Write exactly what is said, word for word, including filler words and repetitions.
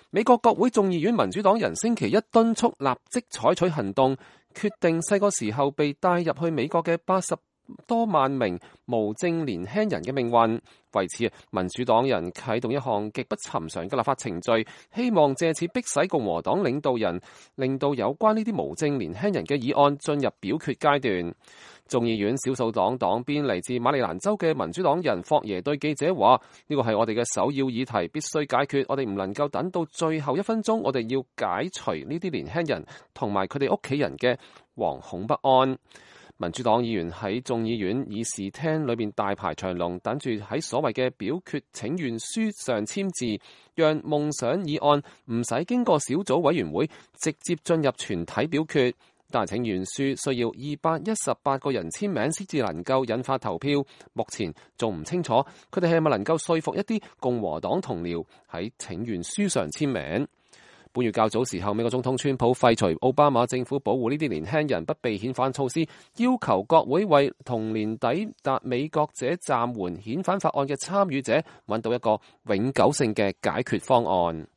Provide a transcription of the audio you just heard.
美國國會眾議院民主黨人星期一敦促立即採取行動，決定細個時候被帶入去美國嘅八十多萬名無證年輕人嘅命運。為此，民主黨人啟動一項極不尋常嘅立法程序，希望借此迫使共和黨領導人令到有關呢啲無證年輕人嘅議案進入表決階段。眾議院少數黨黨鞭嚟自馬里蘭州嘅民主黨人霍耶對記者話：呢個係我哋嘅首要議題，必須解決。我哋唔能夠等到最後一分鐘，我哋要解除呢啲年輕人同埋佢哋屋企人嘅惶恐不安。民主黨議員喺眾議院議事廳裏面大排長龍，等住喺所謂嘅表決請願書上簽字，讓夢想議案唔使經過小組委員會，直接進入全體表決。但係請願書需要二百一十八個人簽名先至能夠引發投票。目前仲唔清楚佢哋係咪能夠說服一啲共和黨同僚喺請願書上簽名。本月較早時候，美國總統川普廢除奧巴馬政府保護呢啲年輕人不被遣返措施，要求國會為同年抵達美國者暫緩遣返法案嘅參與者揾到一個永久性嘅解決方案。